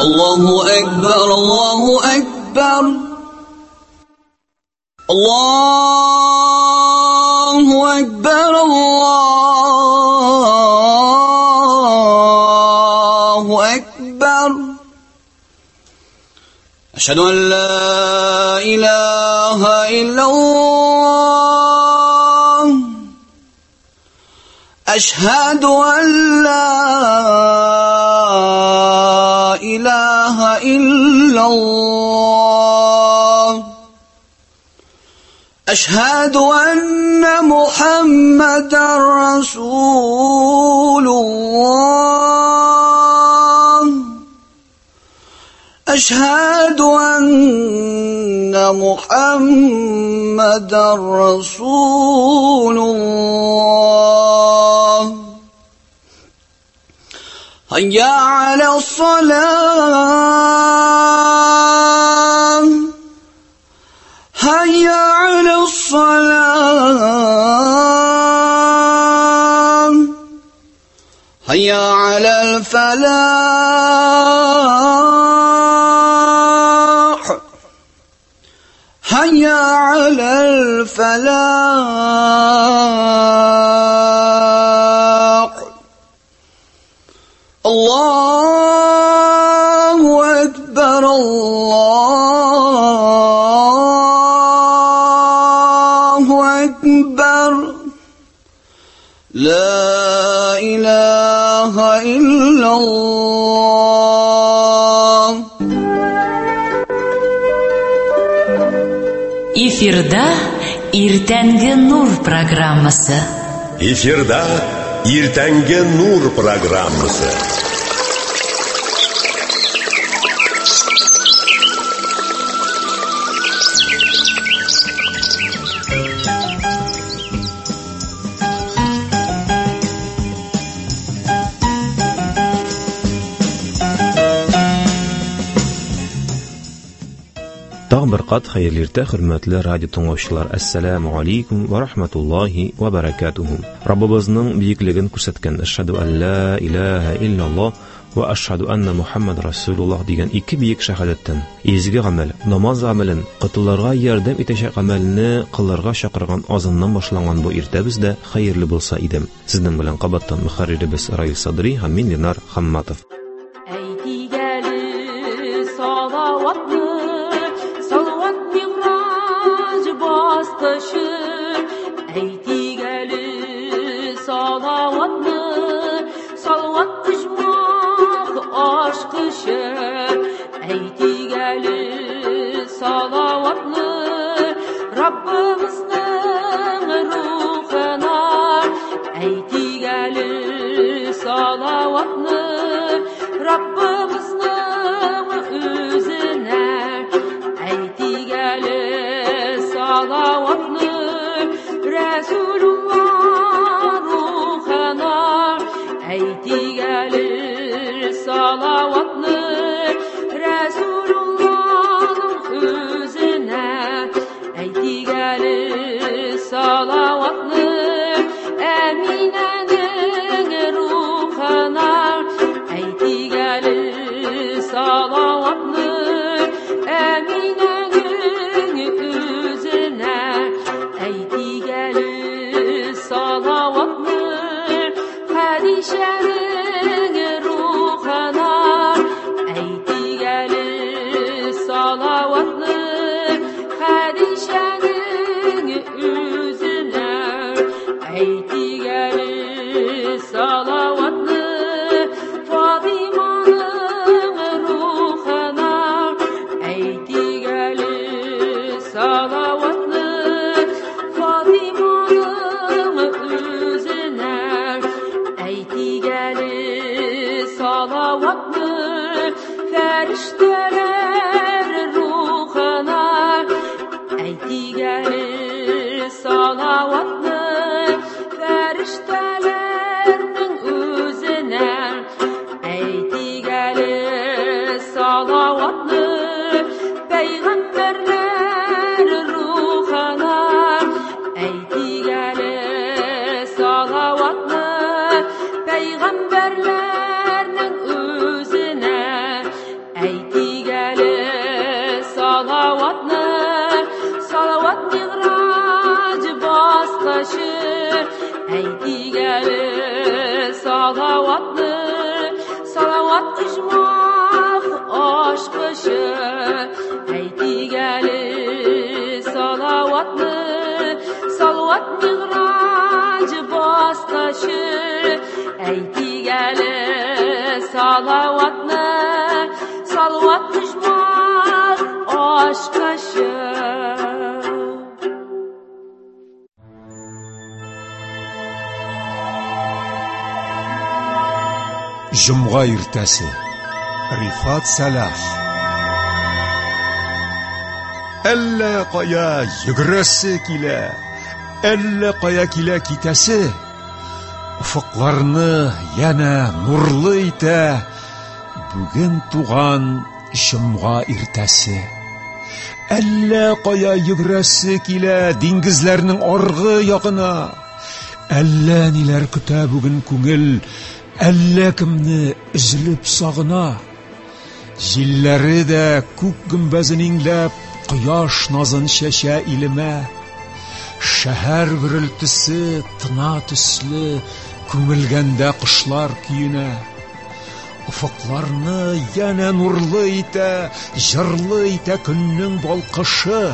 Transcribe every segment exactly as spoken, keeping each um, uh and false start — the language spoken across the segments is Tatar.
الله أكبر الله أكبر الله أكبر الله أكبر أشهد أن لا إله إلا الله أشهد أن لا إله إلا الله أشهد أن محمدا رسول الله أشهد أن محمدا رسول الله هيا على الصلاة هيا على الصلاة هيا على الفلاح هيا على الفلاح الله أكبر الله أكبر لا إله إلا الله. Эфирда Иртәнге Нур программасы. Эфирда Иртәнге Нур программасы. Тагын бер кат хәерле иртә, хөрмәтле радио тыңлаучылар. Әссәламү алейкум ва рахматуллахи ва баракатуху. Раббыбызның бөеклеген күрсәткән Әшһәду ан ла илаһа илляллаһ ва әшһәду анна Мухаммад расулуллаһ дигән ике бөек шәһадәттән изге гамәл, намаз гамәлен, кытыларга ярдәм итәчәк гамәлне кылырга чакырган азаннан башланган бу иртәбез дә хәерле булса иде. Сезнең белән кабаттан мөхәрриребез Раил Садри һәм мин Ленар Хамматов. Әйтик әле салаватны, салават мигъраҗ баскычы. Әйтик әле салаватны, салават оҗмах ачкычы. Әйтик әле салаватны, салават мигъраҗ баскычы. Әйтик әле салаватны, салават оҗмах ачкычы. Җомга иртәсе. Рифат Сәлах. Әллә кая йөгерәсе килә, әллә кая килә китәсе. Офыкларны янә нурлы итә бүген туган җомга иртәсе. Әллә кая йөгерәсе килә диңгезләрнең аргы ягына. Әллә ниләр көтә бүген күңел, әллә кемне өзелеп сагына. Җилләре дә күк гөмбәзен иңләп, кояш назын чәчә илемә. Шәһәр гөрелтесе тына төсле, күмелгәндә кошлар көенә. Офыкларны янә нурлы итә, җырлы итә көннең балкышы.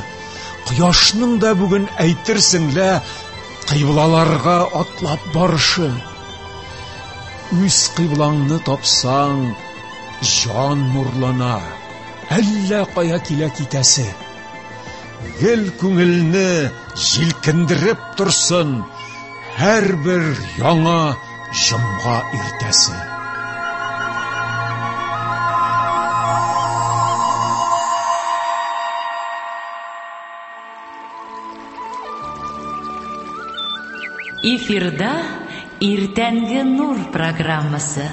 Кояшның да бүген әйтерсең лә кыйблаларга атлап барышы. Үз кыйблаңны тапсаң, җан нурлана, әллә кая килә китәсе. Гел күңелне җилкендереп торсын һәрбер яңа җомга иртәсе. Эфирда Иртәнге нур программасы.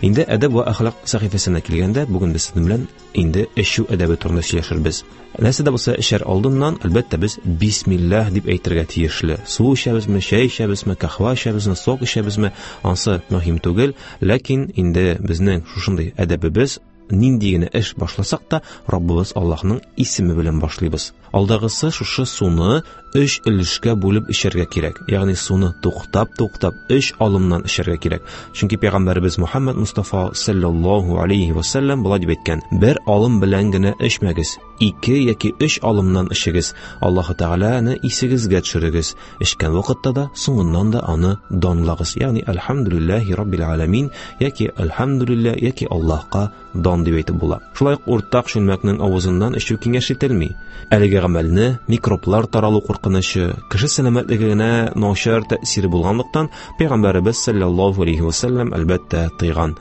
Инде әдәп вә әхлак сәхифәсенә килгәндә, бүген без сезнең белән инде эчү әдәбе турында сөйләшербез. Нәрсә дә булса эчәр алдыннан, әлбәттә, без бисмиллаһ дип әйтергә тиешле. Су эчәбезме, чәй эчәбезме, каһвә эчәбезме, сок эчәбезме, ансы мөһим түгел, ләкин инде безнең шушындый әдәбебез, нинди генә эш башласак та, Раббыбыз Аллаһның исеме белән башлыйбыз. Алдагысы шушы суны өч өлешкә бүлеп эчәргә кирәк. Ягъни суны туктап-туктап өч алымнан эчәргә кирәк. Чөнки пәйгамбәребез Мухаммад Мустафа саллаллаһу алейхи ва саллям болай дип әйткән: бер алым белән генә эчмәгез, ике яки өч алымнан эчегез. Аллаһ Тәгаләне исегезгә төшерегез. Эчкән вакытта да, соңыннан да аны данлагыз. Ягъни әлхәмдүлиллаһи раббил аламин яки әлхәмдүлиллаһ яки Аллаһка дан дип әйтеп була. Шулай ук уртак чүлмәкнең авызыннан эчү киңәш ителми. Әлеге гамәлне микроблар таралу куркынычы, кеше сәламәтлегенә начар тәэсире булганлыктан пәйгамбәребез саллаллаһу алейхи ва саллям әлбәттә тыйган.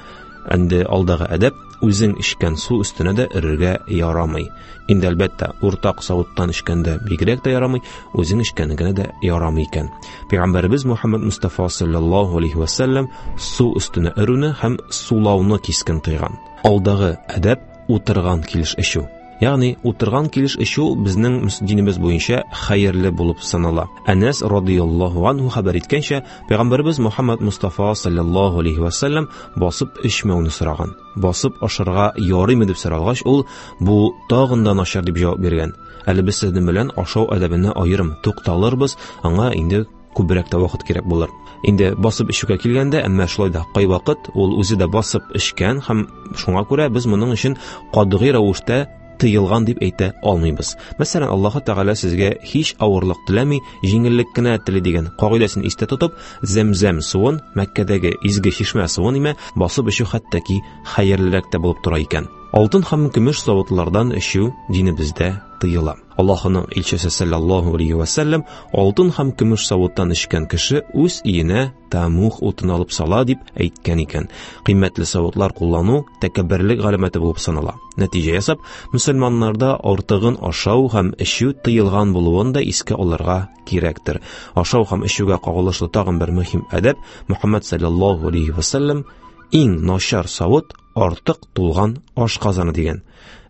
Инде алдагы әдәп, үзең эчкән су өстенә дә өрергә ярамый. Инде әлбәттә уртак савыттан эчкәндә бигрәк тә ярамый, үзең эчкәне генә дә ярамый икән. Пәйгамбәребез Мухаммад Мустафа саллаллаһу алейхи ва саллям су өстенә өрүне һәм сулауны кискен тыйган. Алдагы әдәп, утырган килеш эчү. Ягъни утырган килеш эчү безнең динебез буенча хәерле булып санала. Әнәс радыяллаһу анһу хәбәр иткәнчә, пәйгамбәребез Мухаммад Мустафа саллаллаһу алейхи ва саллям басып эчмәүне сораган. Басып ашарга ярыймы дип соралгач, ул бу тагын да начар дип җавап биргән. Әле без сезнең белән ашау әдәбенә аерым тукталырбыз, аңа инде күбрәк тә вакыт кирәк булыр. Инде басып эчүгә килгәндә, әмма шулай да кайвакыт ул үзе дә басып эчкән һәм шуңа күрә без моның өчен катгый рәвештә тыелган дип әйтә алмыйбыз. Мәсәлән, Аллаһ Тәгалә сезгә һич авырлык теләми, җиңеллек кенә тели дигән кагыйдәсен истә тотып, зәмзәм суын, Мәккәдәге изге чишмә суын име басып эчү хәтта ки хәерлерәк тә булып тора икән. Алтын һәм көмеш савытлардан эчү динебездә тыела. Аллаһның илчесе саллаллаһу алейхи ва саллям алтын һәм көмеш савыттан эчкән кеше үз өенә тамух утын алып сала дип әйткән икән. Кыйммәтле савытлар куллану тәкәбберлек галәмәте булып санала. Нәтиҗә ясап, мөселманнарда артыгын ашау һәм эчү тыелган булуын да искә алырга кирәктер. Ашау һәм эчүгә кагылышлы тагын бер мөһим әдәп: Мухаммад саллаллаһу алейхи ва саллям иң начар савыт артык тулган ашказаны дигән.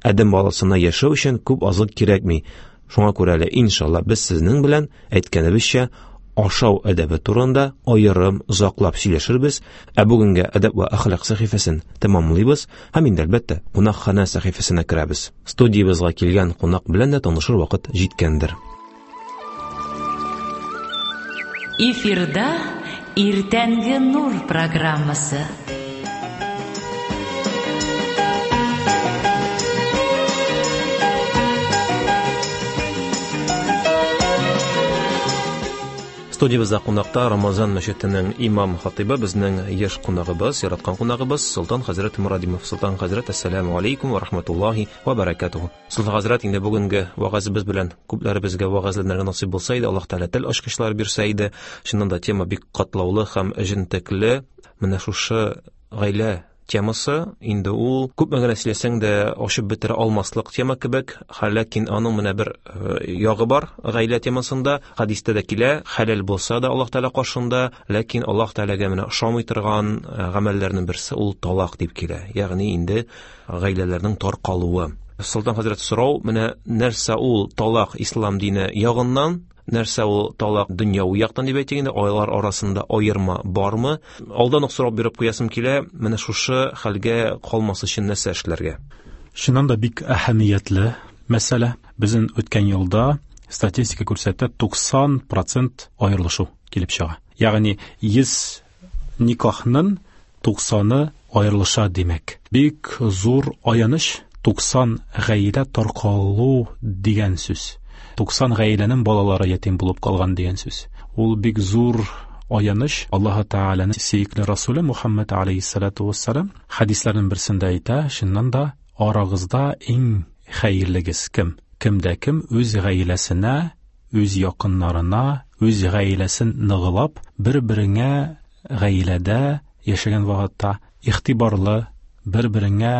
Адәм баласына яшәү өчен күп азык кирәкми. Шуңа күрә әле иншалла без сезнең белән әйткәнебезчә ашау әдәбе турында аерым озаклап сөйләшербез. Ә бүгенгә әдәп вә әхлак сәхифәсен тәмамлыйбыз һәм инде әлбәттә кунакханә сәхифәсенә керәбез. Студиябезгә килгән кунак белән дә танышыр вакыт җиткәндер. Эфирда Иртәнге Нур программасы. Студиябездә кунакта Рамазан мәчетенең имам хатибы, безнең еш кунагыбыз, яраткан кунагыбыз Солтан хәзрәт Мурадимов. Солтан хәзрәт, әссәламу алейкум ва рахматуллаһи ва баракатуху. Солтан хәзрәт, инде бүгенге вәгазебез белән күпләребезгә вәгазьләнергә насыйп булса иде, Аллаһ Тәгалә тел ачкычлары бирсә иде. Чыннан да тема бик катлаулы һәм җентекле. Менә шушы гаилә темасы инде ул күпме генә сөйләсәң дә ачып бетерә алмаслык тема кебек, ләкин аның менә бер ягы бар гаилә темасында. Хәдистә дә килә, хәләл булса да Аллаһ Тәгалә каршында, ләкин Аллаһ Тәгаләгә менә ошамый торган гамәлләрнең берсе ул талак дип килә, ягъни инде гаиләләрнең таркалуы. Солтан хәзрәт, сорау менә нәрсә ул талак ислам дине ягыннан, нәрсә ул талак дөньяви яктан дип әйтик инде, айлар арасында аерма бармы? Алдан ук сорап биреп куясым килә, менә шушы хәлгә калмас өчен нәрсә эшләргә? Чыннан да бик әһәмиятле мәсьәлә. Безнең үткән елда статистика күрсәтә, туксан процент аерылышу килеп чыга. Ягъни йөз никахның туксаны аерылыша димәк. Бик зур аяныч, туксан гаилә таркалу дигән сүз. туксан гаиләнең балалары ятим булып калган дигән сүз. Ул бик зур аяныч. Аллаһ Тәгаләнең сөекле Расулы Мухаммад алейһиссалату вассалам хәдисләрнең берсендә әйтә, чыннан да арагызда иң хәерлегез кем? Кемдә кем үз гаиләсенә, үз якыннарына, үз гаиләсен ныгылап, бер-береңә гаиләдә яшәгән вакытта игътибарлы, бер-береңә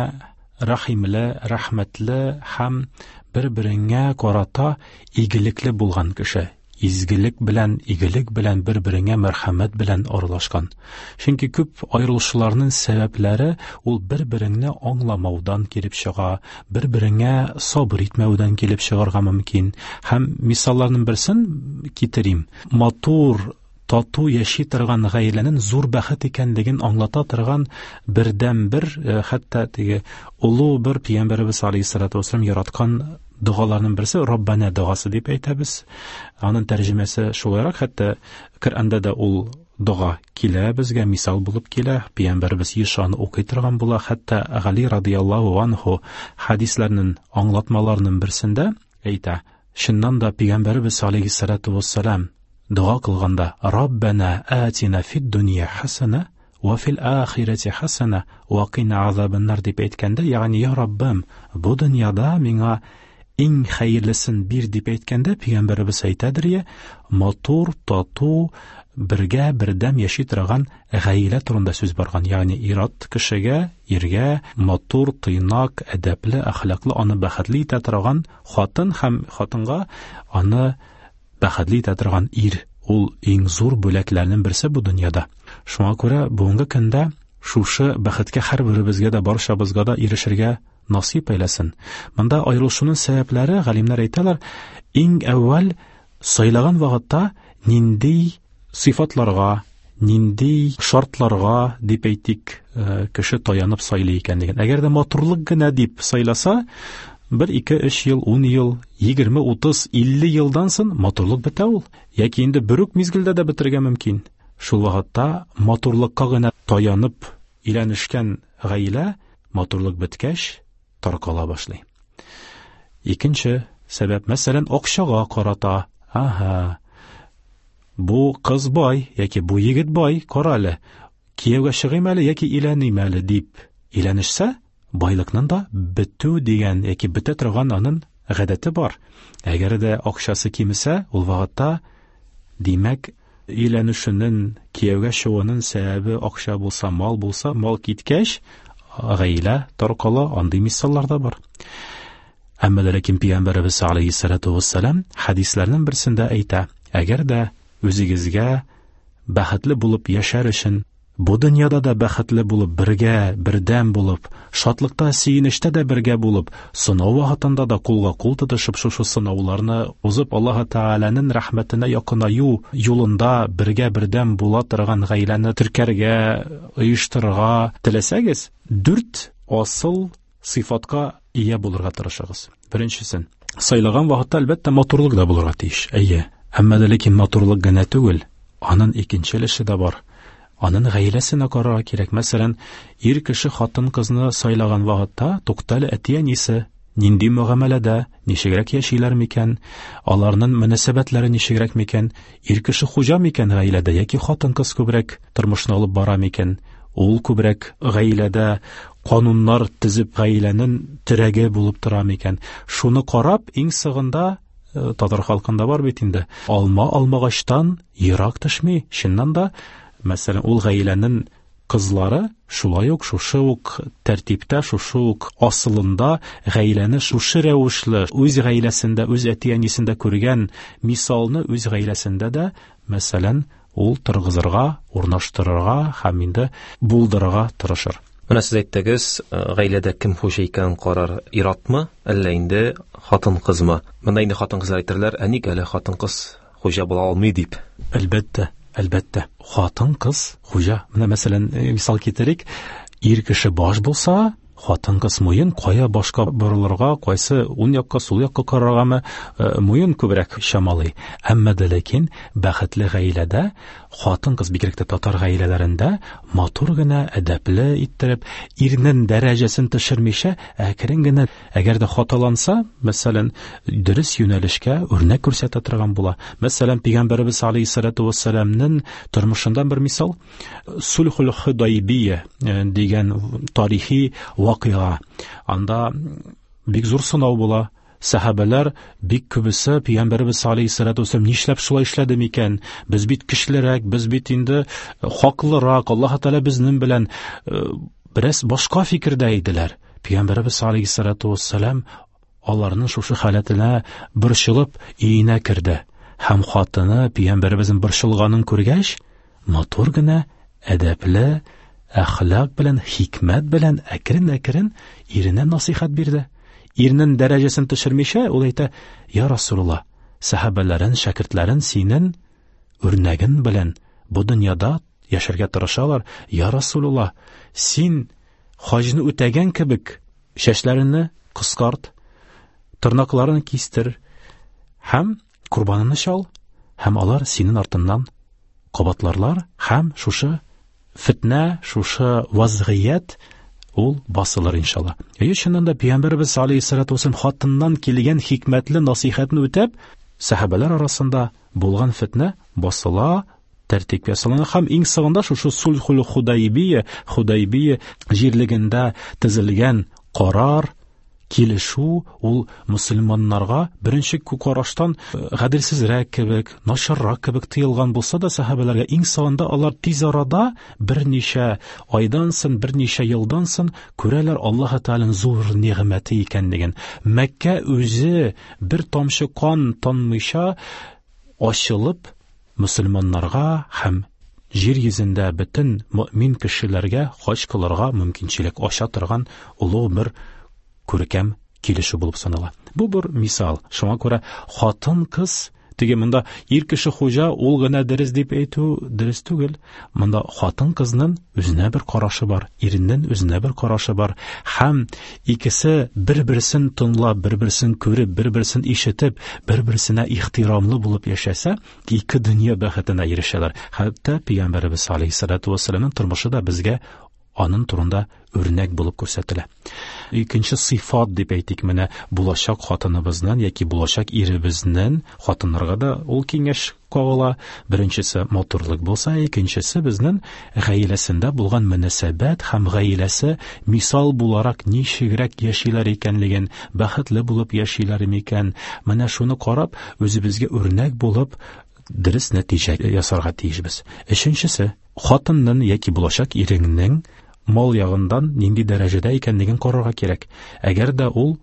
рәхимле, рәхмәтле һәм бер-береңә карата игелекле булган кеше, изгелек белән, игелек белән бер-береңә мәрхәмәт белән аралашкан. Чөнки күп аерылышуларның сәбәпләре ул бер-береңне аңламаудан килеп чыга, бер-береңә сабыр итмәүдән килеп чыгарга мөмкин. Һәм мисалларның берсен китерим. Матур, тату яши торган гаиләнең зур бәхет икәнлеген аңлата торган бердән-бер, хәтта теге олы бер пәйгамбәребез алейһиссалату вассалам яраткан догаларның берсе Раббана догасы дип әйтәбез. Аның тәрҗемәсе шулайрак, хәтта Коръәндә дә ул дога килә, безгә мисал булып килә. Пәйгамбәребез еш аны укый торган була. Хәтта Гали радияллаһу анһу хәдисләрнең аңлатмаларының берсендә әйтә: чыннан да пәйгамбәребез алейһиссалату вассалам дога кылганда Раббана атина фид дөнья хасана ва фил ахирати хасана ва кина азабаннар дип әйткәндә, ягъни я Раббым, бу дөньяда миңа иң хәерлесен бир дип әйткәндә, пәйгамбәребез әйтәдер я, матур, тату, бергә бердәм яши торган гаилә турында сүз барган. Ягъни ир-ат кешегә, иргә матур, тыйнак, әдәпле, әхлаклы, аны бәхетле итә торган хатын һәм хатынга аны бәхетле итә торган ир, ул иң зур бүләкләрнең берсе бу дөньяда. Шуңа күрә бүгенге көндә шушы бәхеткә һәрберебезгә дә, барчабызга да ирешергә насыйп әйләсен. Монда аерылышуның сәбәпләре, галимнәр әйтәләр, иң әүвәл сайлаган вакытта нинди сыйфатларга, нинди шартларга дип әйтик, кеше таянып сайлый икәнлеген. Әгәр дә матурлык гына дип сайласа, бер, ике, өч ел, ун ел, егерме, утыз, илле елдан соң матурлык бетә ул. Яки инде бер үк мизгелдә дә бетерергә мөмкин. Шул вакытта матурлыкка гына таянып өйләнешкән гаилә матурлык беткәч таркала башлый. Икенче сәбәп, мәсәлән, акчага карата. Аһа, бу кыз бай яки бу егет бай, кара әле, кияүгә чыгыйм әле яки өйләним әле дип өйләнешсә, байлыкның да бетү дигән яки бетә торган аның гадәте бар. Әгәр дә акчасы кимесә, ул вакытта, димәк, өйләнүшенең, кияүгә чыгуының сәбәбе акча булса, мал булса, мал киткәч, гаилә таркала, андый мисаллар да бар. Әмма ләкин Пәйгамбәребез алейһиссалату вассалам хәдисләрнең берсендә әйтә: әгәр дә үзегезгә бәхетле булып яшәр өчен Бу дөньяда да бәхетле булып, бергә, бердәм булып, шатлыкта, сөенештә дә бергә булып, сынау вакытында да кулга кул тотышып, шушы сынауларны узып, Аллаһ Тәгаләнең рәхмәтенә якынаю юлында бергә бердәм була торган гаиләне теркәргә, оештырырга теләсәгез, дүрт асыл сыйфатка ия булырга тырышыгыз. Беренчесен, сайлаган вакытта әлбәттә матурлык да булырга тиеш. Әйе, әмма дә ләкин матурлык генә түгел, аның икенче өлеше дә бар. Аның гаиләсенә карарга кирәк. Мәсәлән, ир кеше хатын-кызны сайлаган вакытта туктале әти-әнисе нинди мөгамәләдә, ничегрәк яшиләр микән, аларның мөнәсәбәтләре ничегрәк микән, ир кеше хуҗа микән гаиләдә яки хатын-кыз күбрәк тормышны алып бара микән, ул күбрәк гаиләдә кануннар төзеп гаиләнең терәге булып тора микән. Шуны карап, иң сыгында татар халкында бар бит инде, алма алмагачтан ерак төшми. Чыннан да, мәсәлән, ул гаиләнең кызлары шулай ук шушы ук тәртиптә, шушы ук асылында гаиләне шушы рәвешле үз гаиләсендә, үз әти-әнисендә күргән мисалны үз гаиләсендә дә, мәсәлән, ул торгызырга, урнаштырырга һәм инде булдырырга тырышыр. Менә сез әйттегез, гаиләдә кем хуҗа икәнен карар, ир-атмы, әллә инде хатын-кызмы? Монда инде хатын-кызлар әйтерләр, ә ник әле хатын-кыз хуҗа була алмый дип. Әлбәттә, әлбәттә, хатын-кыз хуҗа. Менә мәсәлән, мисал китерик, ир кеше баш булса, хатын-кыз муен кая башка борылырга, кайсы уң якка, сул якка караргамы, муен күбрәк чамалый. Әмма дә ләкин бәхетле гаиләдә хатын-кыз, бигрәк тә татар гаиләләрендә, матур гына, әдәпле иттереп, ирнең дәрәҗәсен төшермичә, әкрен генә, әгәр дә хаталанса, мәсәлән, дөрес юнәлешкә үрнәк күрсәтә торган була. Мәсәлән, Пәйгамбәребез алейһиссалату вассаламның тормышыннан бер мисал, Сулхул Худайбия дигән тарихи вакыйга. Анда бик зур сынау була. Сәхабәләр бик күбесе Пәйгамбәребез алейһиссалату вассалам нишләп шулай эшләде микән? Без бит көчлерәк, без бит инде хаклырак, Аллаһ Тәгалә безнең белән бераз башка фикердә иделәр. Пәйгамбәребез алейһиссалату вассалам аларның шушы халәтенә борчылып өенә керде. Һәм хатыны Пәйгамбәребезнең борчылганын күргәч, матур гына, әдәпле, әхлак белән, хикмәт белән әкрен-әкрен иренә насыйхат бирде. Ирнең дәрәҗәсен төшермичә, ул әйтә: "Я Расулулла, сәхабәләрен, шәкертләрен синең үрнәген белән бу дөньяда яшәргә тырышалар. Я Расулулла, син хаҗны үтәгән кебек чәчләреңне кыскарт, тырнакларын кистер һәм корбаныңны чал, һәм алар синең артыннан кабатларлар, һәм шушы фитнә, шушы вазгыять ул басылыр иншалла." Әйе, чыннан да Пәйгамбәребез алейһиссалату вассалам хатыннан килгән хикмәтле насыйхатны үтәп, сәхабәләр арасында булган фитнә басыла, тәртипкә салына һәм иң соңында шушы Сулхул Худайбия, Худайбия җирлегендә төзелгән карар, килешү ул мөселманнарга беренче караштан гаделсезрәк кебек, начаррак кебек тоелган булса да, сәхабәләргә иң соңында алар тиз арада берничә айдан соң, берничә елдан соң күрәләр Аллаһ Тәгаләнең зур нигъмәте икәнлеген. Мәккә үзе бер тамчы кан танмыйча ачылып мөселманнарга һәм җир йөзендә бөтен мөмин кешеләргә хаҗ кылырга мөмкинчелек ача торган олуг бер күркәм килешү булып санала. Бу бер мисал. Шуңа күрә хатын-кыз, теге монда ир кеше хуҗа, ул гына дөрес дип әйтү дөрес түгел. Монда хатын-кызның үзенә бер карашы бар, иренең үзенә бер карашы бар. Һәм икесе бер-берсен тыңлап, бер-берсен күреп, бер-берсен ишетеп, бер-берсенә ихтирамлы булып яшәсә, ике дөнья бәхетенә ирешәләр. Хәтта Пәйгамбәребез алейһиссалату вассаламның тормышы да безгә аның турында үрнәк булып күрсәтелә. Икенче сыйфат дип әйтик, менә булачак хатыныбызның яки булачак иребезнең, хатыннарга да ул киңәш кагыла. Беренчесе матурлык булса, икенчесе безнең гаиләсендә булган мөнәсәбәт һәм гаиләсе мисал буларак ничегрәк яшиләр икәнлеген, бәхетле булып яшиләр микән, менә шуны карап, үзебезгә үрнәк булып дөрес нәтиҗә ясарга тиешбез. Өченчесе, хатынның яки булачак иреңнең мал ягыннан нинди дәрәҗәдә икәнлеген карарга кирәк. Әгәр дә ул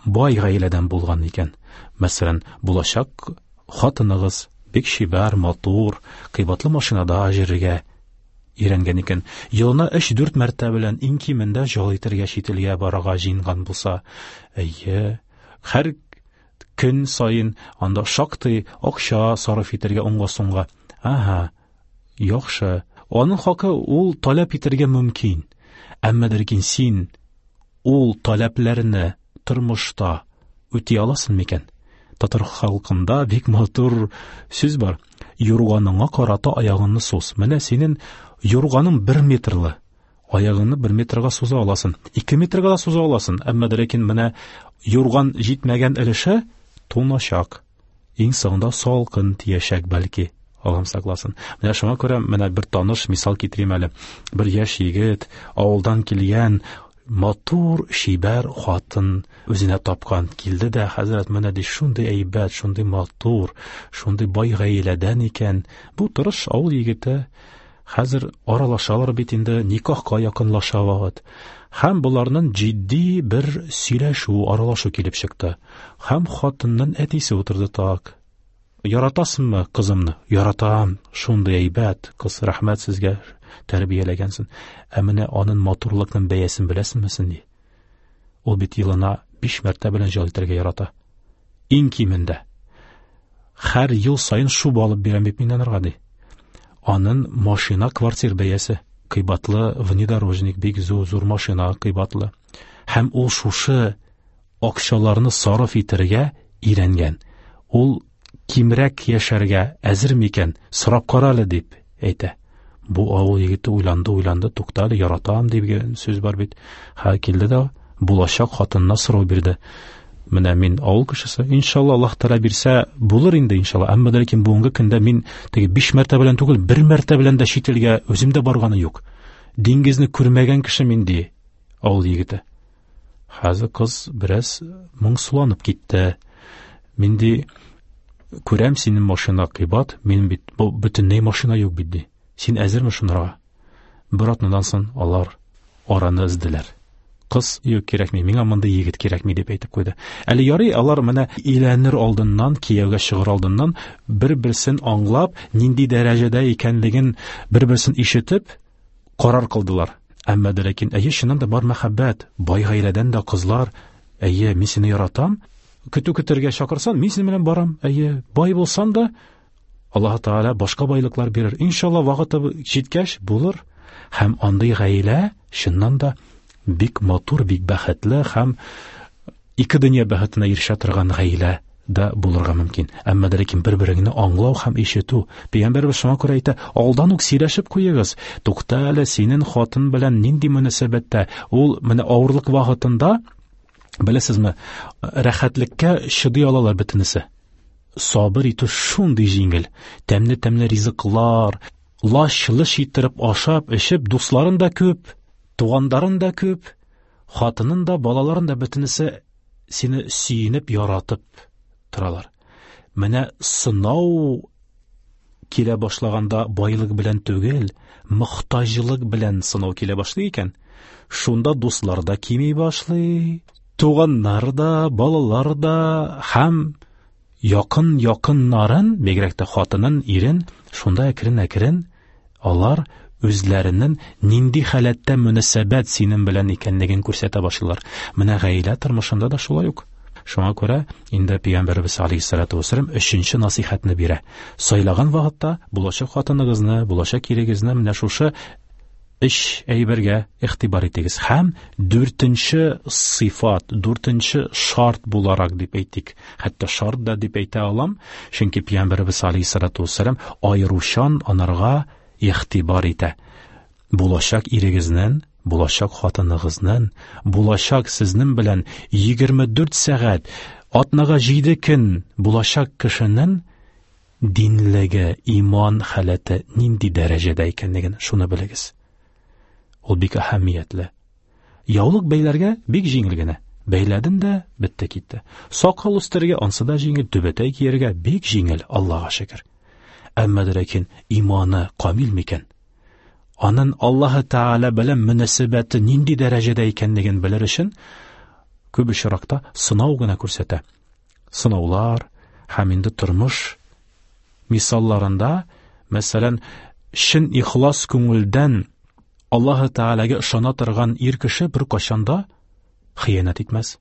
бай гаиләдән булган икән, мәсәлән, булачак хатыныгыз бик чибәр, матур, кыйбатлы машинада йөрергә өйрәнгән икән, елына өч-дүрт мәртәбә белән иң кимендә ял итәргә чит илгә барырга җыенган булса, әйе, һәр көн саен анда шактый акча сарыф итәргә уңга-сулга. Аһа, яхшы. Аның хакы ул таләп итәргә мөмкин. Әмма ләкин син ул таләпләрне тормышта үти аласың микән? Татар халкында бик матур сүз бар. Юрганыңа карата аягыңны суз. Менә синең юрганың бер метрлы. Аягыңны бер метрга суза аласың. Ике метрга да суза аласың. Әмма ләкин менә юрган җитмәгән өлеше туначак. Иң соңында салкын тиячәк бәлки. Аллам сакласын. Менә шуңа күрә менә бер таныш мисал китерим әле. Бер яшь егет авылдан килгән матур, чибәр хатын үзенә тапкан. Килде дә, хәзрәт, менә ди, шундый әйбәт, шундый матур, шундый бай гаиләдән икән. Бу тырыш авыл егете. Хәзер аралашалар бит инде, никахка якынлаша вакыт. Һәм боларның җитди бер сөйләшү, аралашу килеп чыкты. Һәм хатынның әтисе утырды так. Яратасыңмы кызымны? Яратам, шундый әйбәт кыз, рәхмәт сезгә, тәрбияләгәнсең. Ә менә аның матурлыкның бәясен беләсеңме син, ди. Ул бит елына биш мәртәбә белән ял итәргә ярата. Иң кимендә. Һәр ел саен шуба алып бирәм бит мин анарга, ди. Аның машина квартир бәясе кыйбатлы, внедорожник, бик зур, зур машина кыйбатлы. Һәм ул шушы акчаларны сарыф итәргә өйрәнгән. Ул кимрәк яшәргә әзер микән? Сорап кара әле, дип әйтә. Бу авыл егете уйланды, уйланды, туктале, яратам дигән сүз бар бит. Һә, килде дә булачак хатынына сорау бирде. Менә мин авыл кешесе, иншалла Аллаһ Тәгалә бирсә булыр инде иншалла. Әмма ләкин бүгенге көндә мин теге биш мәртәбә белән түгел, бер мәртәбә белән дә чит илгә үзем дә барганы юк. Диңгезне күрмәгән кеше мин, ди авыл егете. Хәзер кыз бераз моңсуланып китте. Мин ди, күрәм синең машина кыйбат, минем бит бу бөтенләй машина юк бит, ди. Син әзерме шунарга? Бер атнадан соң алар араны өзделәр. Кыз, юк, кирәкми, миңа мондый егет кирәкми, дип әйтеп куйды. Әле ярый, алар менә өйләнер алдыннан, кияүгә чыгыр алдыннан бер-берсен аңлап, нинди дәрәҗәдә икәнлеген бер-берсен ишетеп карар кылдылар. Әмма дә ләкин, әйе, чыннан да бар мәхәббәт, бай гаиләдән дә кызлар, әйе, мин сине яратам, көтү көтәргә чакырсан, мин синең белән барам, әйе, бай булсан да, Аллаһ Тәгалә башка байлыклар бирер. Иншалла, вакыты җиткәч булыр. Һәм андый гаилә чыннан да бик матур, бик бәхетле һәм ике дөнья бәхетенә ирешә торган гаилә дә булырга мөмкин. Әмма дә ләкин бер-береңне аңлау һәм ишетү. Пәйгамбәребез шуңа күрә әйтә, алдан ук сөйләшеп куегыз. Тукта әле, синең хатын белән нинди мөнәсәбәттә? Ул менә авырлык вакытында, беләсезме, рәхәтлеккә чыдый алалар бөтенесе. Сабыр итү шундый җиңел. Тәмле-тәмле ризыклар, лаш-лыш иттереп ашап, эчеп, дусларын да күп, туганнарын да күп, хатынын да, балаларын да бөтенесе сине сөенеп, яратып торалар. Менә сынау килә башлаганда байлык белән түгел, мохтаҗлык белән сынау килә башлый икән. Шунда дуслар да кими башлый, туганнар да, балалар да һәм якын якыннарын, бигрәк тә хатынын, ирен, шунда әкрен-әкрен алар үзләренең нинди халәттә мөнәсәбәт синең белән икәнлеген күрсәтә башлыйлар. Менә гаилә тормышында да шулай ук. Шуңа күрә инде Пәйгамбәребез алейһиссалату вассалам өченче насыйхатны бирә. Сайлаган вакытта булачак хатыныгызны, булачак ирегезне менә шушы өч әйбергә игътибар итегез. Һәм дүртенче сыйфат, дүртенче шарт буларак дип әйтик. Хәтта шарт да дип әйтә алам, чөнки Пәйгамбәребез алейһиссалату вассалам аеручан анарга игътибар итә. Булачак ирегезнең, булачак хатыныгызның, булачак сезнең белән егерме дүрт сәгать, атнага җиде көн булачак кешенең динлеге, иман халәте нинди дәрәҗәдә икәнлеген шуны белегез. Ул бик әһәмиятле. Яулык бәйләргә бик җиңел генә. Бәйләдем дә, бетте китте. Сакал үстерергә ансы да җиңел, түбәтәй кияргә бик җиңел, Аллаһка шөкер. Әмма ләкин иманы камил микән? Аның Аллаһы Тәгалә белән мөнәсәбәте нинди дәрәҗәдә икәнлеген белер өчен күп очракта сынау гына күрсәтә. Сынаулар һәм инде тормыш мисалларында, мәсәлән, Чын ихлас күңелдән Аллаһы Тәгаләгә ышана торган ир кеше бер кайчан да хыянәт итмәс.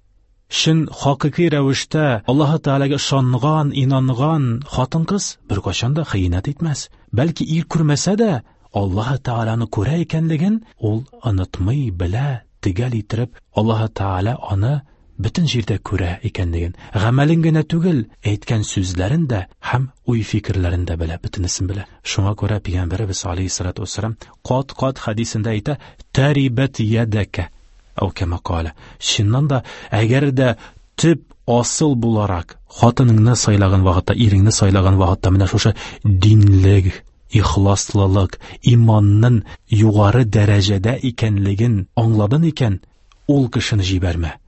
Чын хакыйкый рәвештә Аллаһы Тәгаләгә ышанган, инанган хатын-кыз бер кайчан да хыянәт итмәс. Бәлки ир күрмәсә дә Аллаһы Тәгаләне күрә икәнлеген ул онытмый, белә, төгәл иттереп Аллаһы Тәгалә аны бөтен җирдә күрә икәнлеген, гамәлен генә түгел, әйткән сүзләрен дә һәм уй-фикерләрен дә белә, бөтенесен белә. Шуңа күрә Пәйгамбәребез алейһиссалату вассалам кат-кат хәдисендә әйтә: "Тарибат ядака" әү кама кала. Чыннан да, әгәр дә төп асыл буларак хатыныңны сайлаган вакытта, иреңне сайлаган вакытта менә шушы динлек, ихласлылык, иманның югары дәрәҗәдә икәнлеген аңладың икән, ул кешене җибәрмә.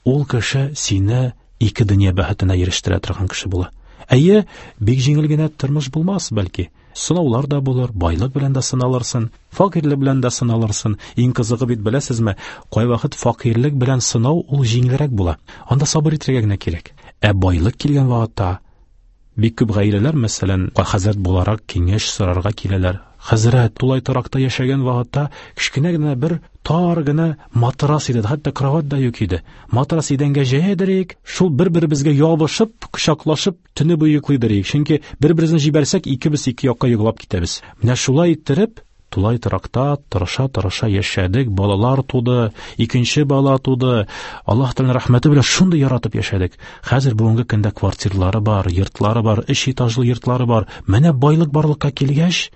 Ул кеше сине ике дөнья бәхетенә ирештерә торган кеше була. Әйе, бик җиңел генә тормыш булмас, бәлки. Сынаулар да булыр, байлык белән дә сыналырсың, факирлек белән дә сыналырсың. Иң кызыгы бит, беләсезме, кайвакыт факирлек белән сынау ул җиңелрәк була. Анда сабыр итәргә генә кирәк. Ә байлык килгән вакытта бик күп гаиләләр, мәсәлән, хәзрәт буларак киңәш сорарга киләләр. Хәзрәт, тулай торакта яшәгән вакытта кечкенә генә бер тар гына матрас иде, хәтта кровать да юк иде. Матрас идәнгә җәядерик, шул бер-беребезгә ябышып, кочаклашып төне буе йоклыйдырик. Чөнки бер-беребезне җибәрсәк, икебез ике якка йоклап китәбез. Менә шулай иттереп, тулай торакта тырыша-тырыша яшәдек, балалар туды, икенче бала туды. Аллаһ Тәгаләнең рәхмәте белән шундый яратып яшәдек. Хәзер бүгенге көндә квартирлары бар, йортлары бар, өч этажлы йортлары бар. Менә байлык барлыкка килгәч,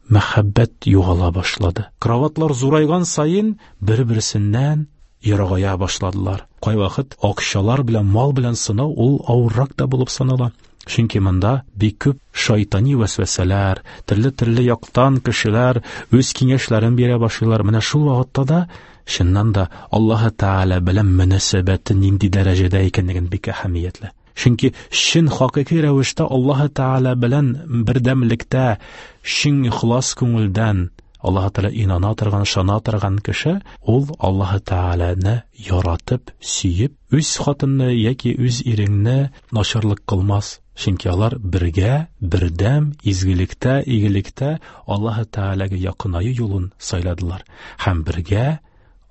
мәхәббәт югала башлады. Кроватлар зурайган саен бер-берсеннән ерагая башладылар. Кайвакыт акчалар белән, мал белән сынау ул авыррак та булып санала. Чөнки монда бик күп шайтани вәсвәсәләр, төрле-төрле яктан кешеләр үз киңәшләрен бирә башлыйлар. Менә шул вакытта да чыннан да Аллаһы Тәгалә белән мөнәсәбәте нинди дәрәҗәдә икәнлеген бик әһәмиятле. Чөнки чын хакыйкый рәвештә Аллаһы Тәгалә белән бердәмлектә, чын ихлас күңелдән Аллаһы Тәгалә инана торган, ышана торган кеше, ул Аллаһы Тәгаләне яратып, сөеп, үз хатынны яки үз иреңне начарлык кылмас. Чөнки алар бергә, бердәм, изгелектә, игелектә Аллаһы Тәгаләгә якынаю юлын сайладылар. Һәм бергә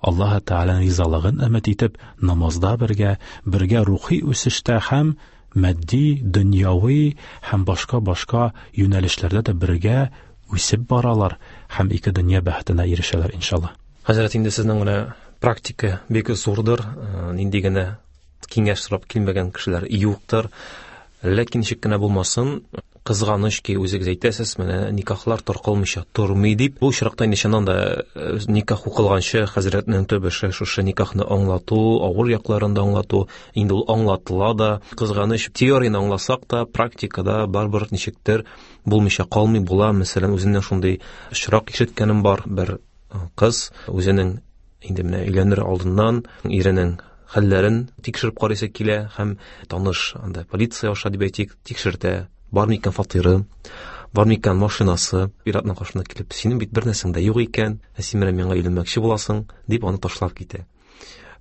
Аллаһы Тәгаләнең ризалыгын өмет итеп, намазда бергә, бергә рухи үсештә һәм матди, дөньяви һәм башка-башка юнәлешләрдә дә бергә үсеп баралар һәм ике дөнья бәхетенә ирешәләр иншалла. Хәзрәт, инде сезнең менә практика бик зурдыр, нинди генә киңәш сорап килмәгән кешеләр юктыр. Ләкин ничек кенә булмасын, кызганыч ки, үзегез әйтәсез, менә никахлар таркалмыйча тормый дип. Бу очракта инде чыннан да никах укылганчы хәзрәтнең төп эше шушы никахны аңлату, авыр якларын да аңлату. Инде ул аңлатыла да. Кызганыч, теорияне аңласак та, практикада барыбер ничектер булмыйча калмый була. Мәсәлән, үземнән шундый очрак ишеткәнем бар. Бер кыз үзенең инде менә өйләнер алдыннан иренең хәлләрен тикшереп карыйсы килә һәм таныш анда полиция аша дип әйтик, тикшертә. Бар микән фатиры, бар микән машинасы. Ир-атның каршына килеп, синең бит бер нәрсәң дә юк икән, ә син менә миңа өйләнмәкче буласың, дип аны ташлап китә.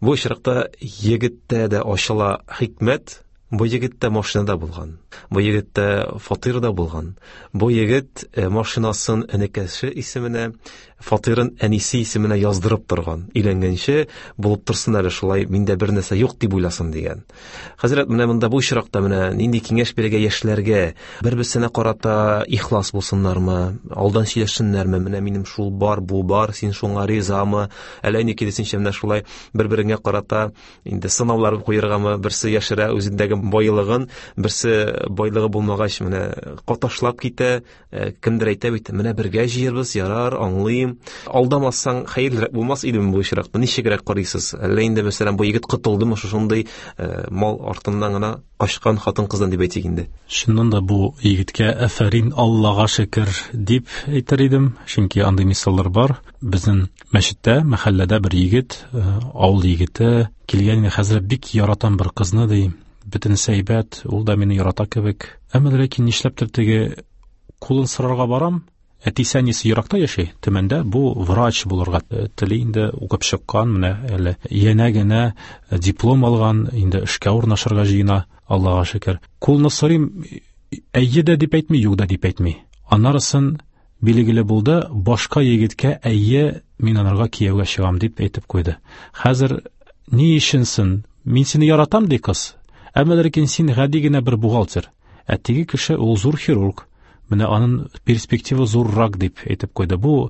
Бу очракта егеттә дә ачыла хикмәт. Бу егеттә машинада булган, бу егеттә фатирда булган. Бу егет машинасын энекәше исеменә, фатирын әнисе исеменә яздырып торган. Өйләнгәнче булып торсын әле шулай, миндә бер нәрсә юк дип уйласын дигән. Хәзрәт, менә монда бу очракта менә нинди киңәш бирергә яшьләргә? Бер-берсенә карата ихлас булсыннармы, алдан сөйләшсеннәрме? Менә минем шул бар, бу бар, син шуңа ризамы? Әллә инде киресенчә менә шулай бер-береңә карата инде сынаулар куергамы? Берсе яшерә үзендәге байлыгын, берсе байлыгы булмагач менә каташлап китә. Кемдер әйтә бит, менә бергә җыербыз, ярар, аңлыйм. Алдамасаң хәерлерәк булмас идеме бу очракта? Ничегрәк карыйсыз? Әллә инде мәсәлән бу егет котылдымы шушындый мал артыннан гына качкан хатын-кыздан дип әйтик инде? Чыннан да бу егеткә афәрин, Аллага шөкер дип әйтер идем, чөнки андый мисаллар бар. Безнең мәчеттә, мәхәлләдә бер егет, авыл егете килгән, хәзер бик яратам бер кызны ди. Бөтенесе әйбәт, ул да мине ярата кебек. Әмма ләкин нишләптер теге кулын сорарга барам, әтисе әнисе еракта яши, Төмәндә, бу врач булырга тели инде, укып чыккан, менә әле янә генә диплом алган, инде эшкә урнашырга җыена, Аллага шөкер. Кулны сорыйм, әйе дә дип әйтми, юк да дип әйтми. Аннарысын билгеле булды, башка егеткә әйе, мин анарга кияүгә чыгам дип әйтеп куйды. Хәзер ни өченсен? Мин сине яратам ди кыз. Әмма ләкин син гади генә бер бухгалтер. Ә теге кеше ул зур хирург. Менә аның перспектива зуррак дип әйтеп куйды. Бу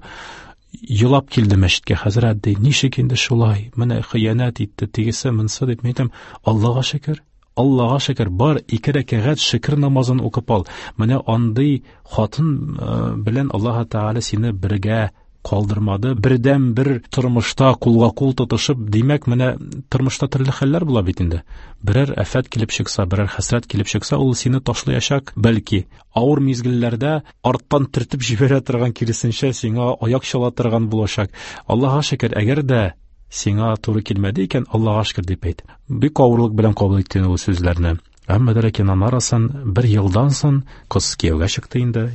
елап килде мәчеткә, хәзрәт ди, ничек инде шулай? Менә хыянәт итте, тегесе монсы дип. Мин әйтәм, Аллага шөкер. Аллага шөкер, бар ике рәкәгать шөкер намазын укып ал. Менә андый хатын белән Аллаһ Тәгалә сине бергә калдырмады. Бердән бер тормышта кулга кул тотышып, димәк, менә тормышта төрле хәлләр була бит инде. Берәр афәт килеп чыкса, берәр хәсрәт килеп чыкса, ул сине ташлаячак, бәлки авыр мизгелләрдә арттан төртеп җибәрә торган, киресенчә сиңа аяк чала торган булачак. Аллаһка шөкер, әгәр дә сиңа туры килмәде икән, Аллаһка шөкер дип әйт. Бик авырлык белән кабул итте ул сүзләрне. Әмма ләкин анарасын бер елдан соң кыз кияүгә чыкты инде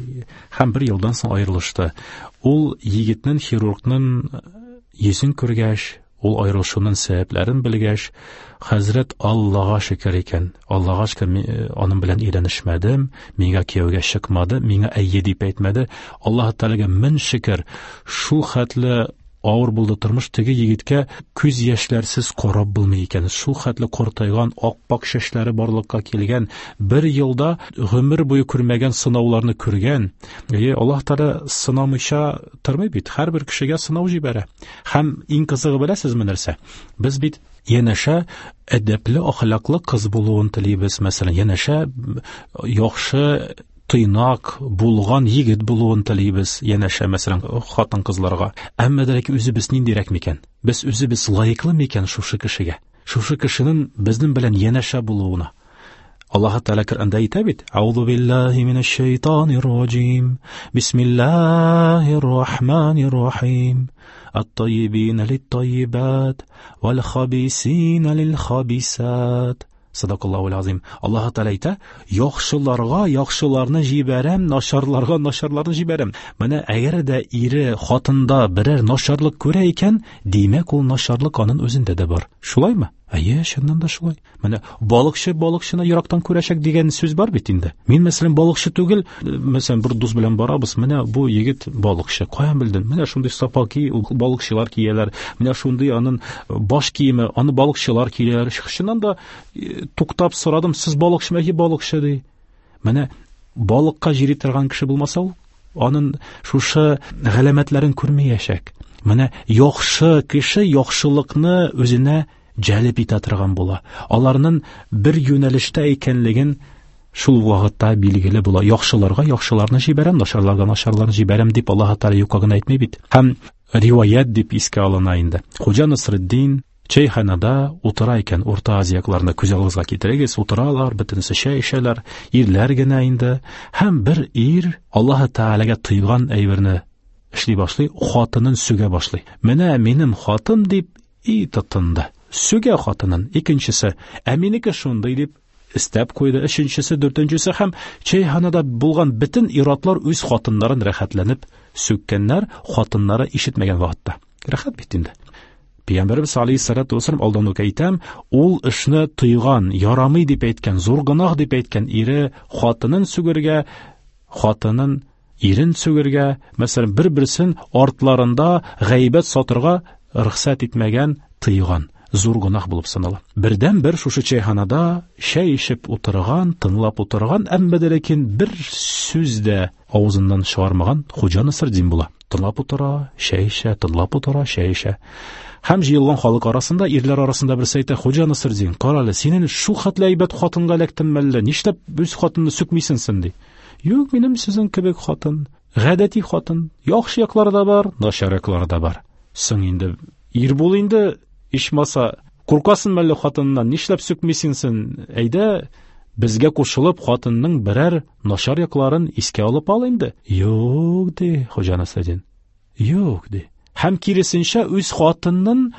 һәм бер елдан соң аерылышты. Ул егетнең, хирургның йөзен күргәч, ул аерылышуның сәбәпләрен белгәч, хәзрәт Аллаһка шөкер икән. Аллаһка шөкер, аның белән өйләнешмәдем, миңа кияүгә чыкмады, миңа әйе дип әйтмәде. Аллаһ Тәгаләгә мең шөкер, шул хәтле авыр булды тормыш, теге егеткә күз яшьләрсез карап булмый икән. Шул хәтле картайган, ак-пак чәчләре барлыкка килгән, бер елда гомер буе күрмәгән сынауларны күргән. Әйе, Аллаһ Тәгалә сынамыйча тормый бит, һәрбер кешегә сынау җибәрә. Һәм иң кызыгы беләсезме нәрсә? Без бит янәшә әдәпле, әхлаклы кыз булуын телибез, мәсәлән, янәшә яхшы тыйнак булган егет булуын телибез, янәшә, мәсәлән, хатын-кызларга. Әмма дә ләкин үзебез ниндирәк микән? Без үзебез лаеклы микән шушы кешегә? Шушы кешенең безнең белән янәшә булуына. Аллаһ Тәгалә Коръәндә әйтә бит: Аузу биллаһи минәш шайтанир раҗим. Бисмиллаһир рахманир рахим. Ат-тайибина лит-тайибат вал-хабисина лил-хабисат. Садакаллаһу азим. Аллаһ Тәгалә әйтә: яхшыларга яхшыларны җибәрәм, начарларга начарларны җибәрәм. Менә әгәр дә ире хатында берәр начарлык күрә икән, димәк ул начарлык аның үзендә дә бар. Шулаймы? Әйе, чыннан да шулай. Менә балыкчы балыкчыны ерактан күрәчәк дигән сүз бар бит инде. Мин, мәсәлән, балыкчы түгел, мәсәлән, бер дус белән барабыз, менә бу егет балыкчы. Каян белдең? Менә шундый сапаки, ул балыкчылар кияләр. Менә шундый аның баш киеме, аны балыкчылар кияләр. Чыннан да туктап сорадым, сез балыкчымы? Әйе, балыкчы ди. Менә балыкка җири торган кеше булмаса, ул аның шушы галәмәтләрен күрмәячәк. Менә яхшы кеше яхшылыкны үзенә җәлеп итә торган була. Аларның бер юнәлештә икәнлеген шул вакытта билгеле була. Яхшыларга яхшыларны җибәрәм, начарларга начарларны җибәрәм дип Аллаһ Тәгалә юкка гына әйтми бит. Һәм риваять дип искә алына инде. Хуҗа Насретдин чәйханада утыра икән, Урта Азия якларында, күз алдыгызга китерегез, утыралар, бөтенесе чәй эчәләр, ирләр генә инде. Һәм бер ир Аллаһ Тәгаләгә тыйган әйберне эшли башлый, хатынын сүгә башлый. Менә минем хатын дип и тотынды. Сүгә хатынын. Икенчесе, ә минеке шундый дип истәп куйды. Өченчесе, дүртенчесе һәм чәйханада булган бөтен ир-атлар үз хатыннарын рәхәтләнеп сүккәннәр, хатыннары ишетмәгән вакытта. Рәхәт бит инде. Пәйгамбәребез алейһиссалату вассалам алдан ук әйтәм, ул эшне тыйган, ярамый дип әйткән, зур гөнаһ дип әйткән ире хатынын сүгергә, хатынын ирен сүгергә, мәсәлән, бер-берсен артларында гайбәт сатырга рөхсәт итмәгән, тыйган. Зур гөнаһ булып санала. Бердән бер шушы чәйханада чәй эчеп утырган, тыңлап утырган, әмма дә ләкин бер сүз дә авызыннан чыгармаган Хуҗа Насретдин була. Тыңлап утыра, чәй эчә, тыңлап утыра, чәй эчә. Һәм җыелган халык арасында, ирләр арасында берсе әйтә: Хуҗа Насретдин, кара әле, синең шул хәтле әйбәт хатынга эләктеңме әллә? Нишләп үз хатынны сүкмисең син, ди. Юк, минем сезнең кебек хатын, гадәти хатын, яхшы яклары да бар, начар яклары да бар. Соң инде ир бул инде, ичмаса, куркасың мәллә хатыннан, нишләп сүкмисең син? Әйдә, безгә кушылып хатынның берәр начар якларын искә алып ал инде. Юк, ди Хуҗа Насретдин. Юк, ди. Һәм киресенчә үз хатынын